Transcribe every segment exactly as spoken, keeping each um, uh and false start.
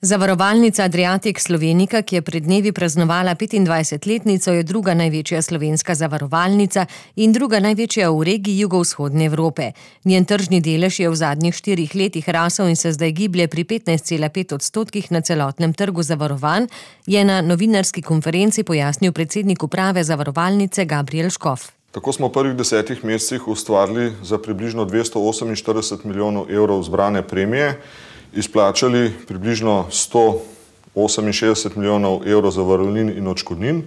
Zavarovalnica Adriatic Slovenica, ki je pred dnevi praznovala petindvajsetletnico, je druga največja slovenska zavarovalnica in druga največja v regiji jugovzhodne Evrope. Njen tržni delež je v zadnjih štirih letih rasel in se zdaj giblje pri petnajst cela pet odstotkih na celotnem trgu zavarovanj, je na novinarski konferenci pojasnil predsednik uprave zavarovalnice Gabriel Škof. Tako smo v prvih desetih mesecih ustvarili za približno dvesto oseminštirideset milijonov evrov zbrane premije, izplačali približno sto oseminšestdeset milijonov evrov zavarovalnin in odškodnin.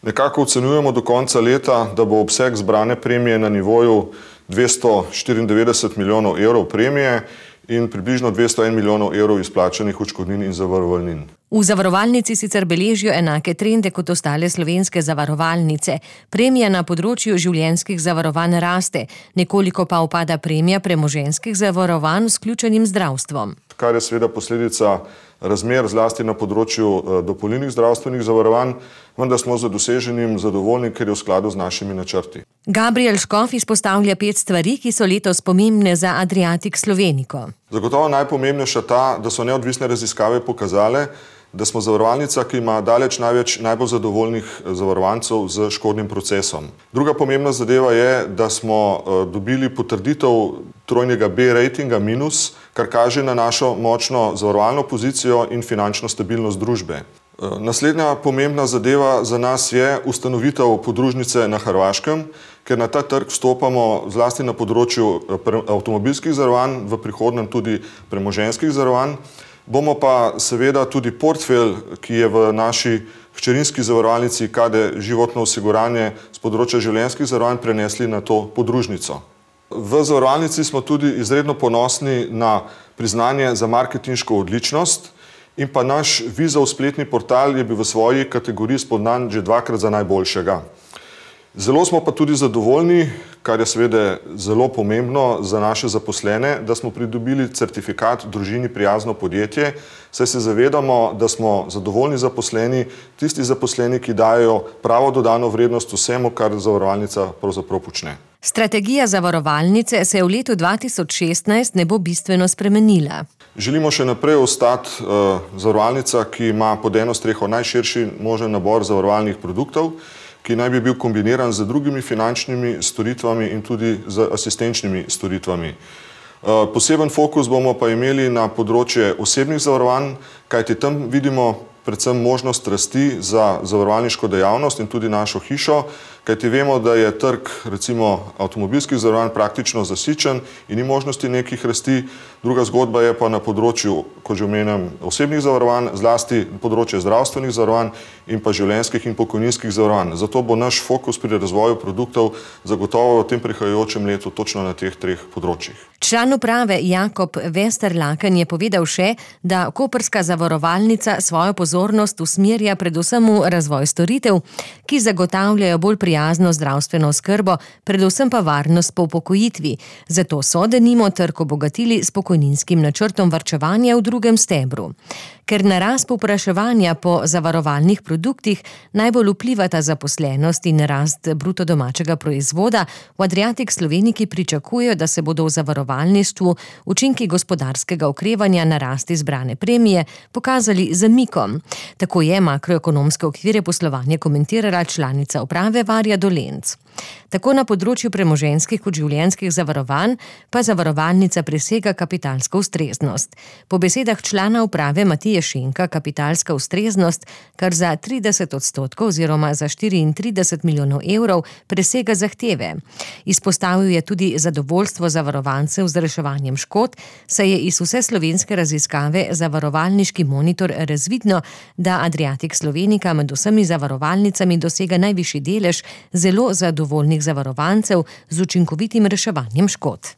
Nekako ocenjujemo do konca leta, da bo obseg zbrane premije na nivoju dvesto štiriindevetdeset milijonov evrov premije in približno dvesto en milijonov evrov izplačanih odškodnin in zavarovalnin. V zavarovalnici sicer beležijo enake trende kot ostale slovenske zavarovalnice. Premija na področju življenjskih zavarovanj raste, nekoliko pa upada premija premoženjskih zavarovanj s vključenim zdravstvom. Kar je seveda posledica razmer zlasti na področju dopolnilnih zdravstvenih zavarovanj, vendar smo z doseženim zadovoljni, ker je v skladu z našimi načrti. Gabriel Škof izpostavlja pet stvari, ki so letos pomembne za Adriatic Slovenico. Zagotovo najpomembnejša ta, da so neodvisne raziskave pokazale, da smo zavarovalnica, ki ima daleč največ najbolj zadovoljnih zavarovancev z škodnim procesom. Druga pomembna zadeva je, da smo dobili potrditev trojnega B ratinga minus, kar kaže na našo močno zavarovalno pozicijo in finančno stabilnost družbe. Naslednja pomembna zadeva za nas je ustanovitev podružnice na Hrvaškem, ker na ta trg vstopamo zlasti na področju avtomobilskih zavarovanj, v prihodnjem tudi premoženjskih zavarovanj. Bomo pa seveda tudi portfelj, ki je v naši hčerinski zavarovalnici K D životno osiguranje z področja življenjskih zavarovanj prenesli na to podružnico. V zavarovalnici smo tudi izredno ponosni na priznanje za marketinško odličnost in pa naš Vizov spletni portal je bil v svoji kategoriji spodnan že dvakrat za najboljšega. Zelo smo pa tudi zadovoljni, kar je seveda zelo pomembno za naše zaposlene, da smo pridobili certifikat družini prijazno podjetje, saj se zavedamo, da smo zadovoljni zaposleni, tisti zaposleni, ki dajo pravo dodano vrednost vsemu, kar zavarovalnica pravzaprav počne. Strategija zavarovalnice se v letu dva tisoč šestnajst ne bo bistveno spremenila. Želimo še naprej ostati uh, zavarovalnica, ki ima pod eno streho najširši možen nabor zavarovalnih produktov, ki naj bi bil kombiniran z drugimi finančnimi storitvami in tudi z asistenčnimi storitvami. Poseben fokus bomo pa imeli na področje osebnih zavarovanj, kajti tam vidimo predvsem možnost rasti za zavarovalniško dejavnost in tudi našo hišo, kajti vemo, da je trg recimo avtomobilskih zavarovanj praktično zasičen in ni možnosti nekih rasti. Druga zgodba je pa na področju, kot že omenjam, osebnih zavarovanj, zlasti področje zdravstvenih zavarovanj in pa življenjskih in pokojninskih zavarovanj. Zato bo naš fokus pri razvoju produktov zagotovo v tem prihajajočem letu točno na teh treh področjih. Član uprave Jakob Vesterlaken je povedal še, da koprska zavarovalnica svojo pozornost usmerja predvsem v razvoj storitev, ki zagotavljajo bolj prijazno zdravstveno oskrbo, predvsem pa varnost po upokojitvi. Zato so denimo trg obogatili s pokojninskim načrtom varčevanja v drugem stebru. Ker na rast povpraševanja po zavarovalnih produktih najbolj vplivata zaposlenost in rast bruto domačega proizvoda, v Adriatic Sloveniki pričakujejo, da se bodo v zavarovalništvu učinki gospodarskega okrevanja na rasti zbrane premije pokazali z zamikom. Tako je makroekonomske okvire poslovanja komentirala članica uprave Varja Dolenc. Tako na področju premoženjskih kot življenjskih zavarovanj pa zavarovalnica presega kapitalsko ustreznost. Po besedah člana uprave Matije Šenka kapitalska ustreznost kar za trideset odstotkov oziroma za štiriintrideset milijonov evrov presega zahteve. Izpostavil je tudi zadovoljstvo zavarovancev z reševanjem škod, saj je iz vse slovenske raziskave Zavarovalniški monitor razvidno, da Adriatic Slovenica med vsemi zavarovalnicami dosega najvišji delež zelo zadovoljnih zavarovancev z učinkovitim reševanjem škod.